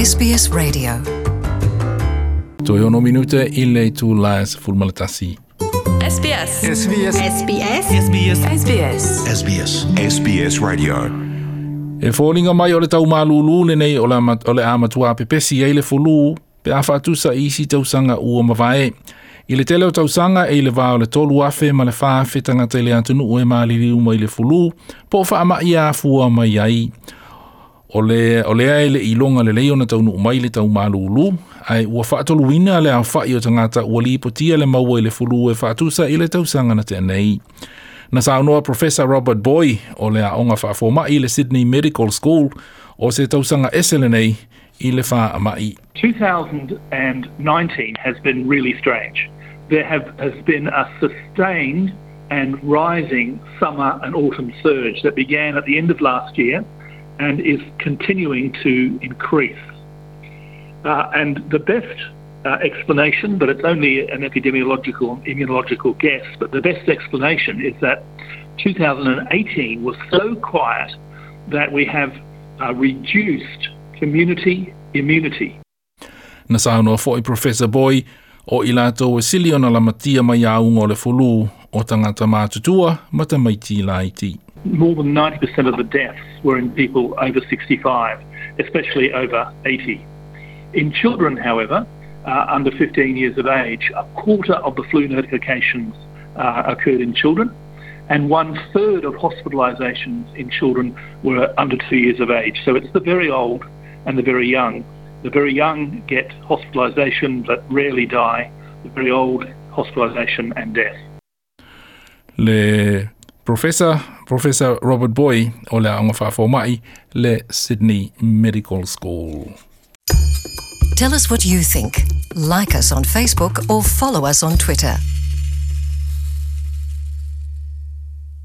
SBS Radio. Toe 6 minute i le itula e 11. SBS. SBS. SBS. SBS. SBS. SBS. SBS Radio. E foliga mai o le taumalūlū lenei o le o le a matua pepesi ai le fulu pe a faatusa i isi tausaga ua mavae. I le tele o tausaga e i le va o le 3,000 ma le 4,000 tagata i le atunuu e maliliu mai le fulu po o faama'i afua mai ai. O le, o lea e le'i iloga lelei ona taunuu mai le taumalūlū, ae ua faatoluina le aofa'i o tagata ua lipotia le maua i le fulu e faatusa i le tausaga na tea nei. Na saunoa Professor Robert Booy o le aoga faafoma'i i le Sydney Medical School o se tausaga ese lenei i le faama'i. 2019 has been really strange. There have, has been a sustained and rising summer and autumn surge that began at the end of last year and is continuing to increase. And the best explanation, but it's only an epidemiological and immunological guess, but the best explanation is that 2018 was so quiet that we have reduced community immunity. Na saunoa foi Professor Booy o i latou e sili ona lamatia mai auga o le fulu o tagata matutua ma tamaiti laiti. More than 90% of the deaths were in people over 65, especially over 80. In children, however, under 15 years of age, a quarter of the flu notifications occurred in children, and 1/3 of hospitalisations in children were under 2 years of age. So it's the very old and the very young. The very young get hospitalisation but rarely die. The very old, hospitalisation and death. Le Professor Robert Booy o le Aoga Faafoma'i le Sydney Medical School. Tell us what you think. Like us on Facebook or follow us on Twitter.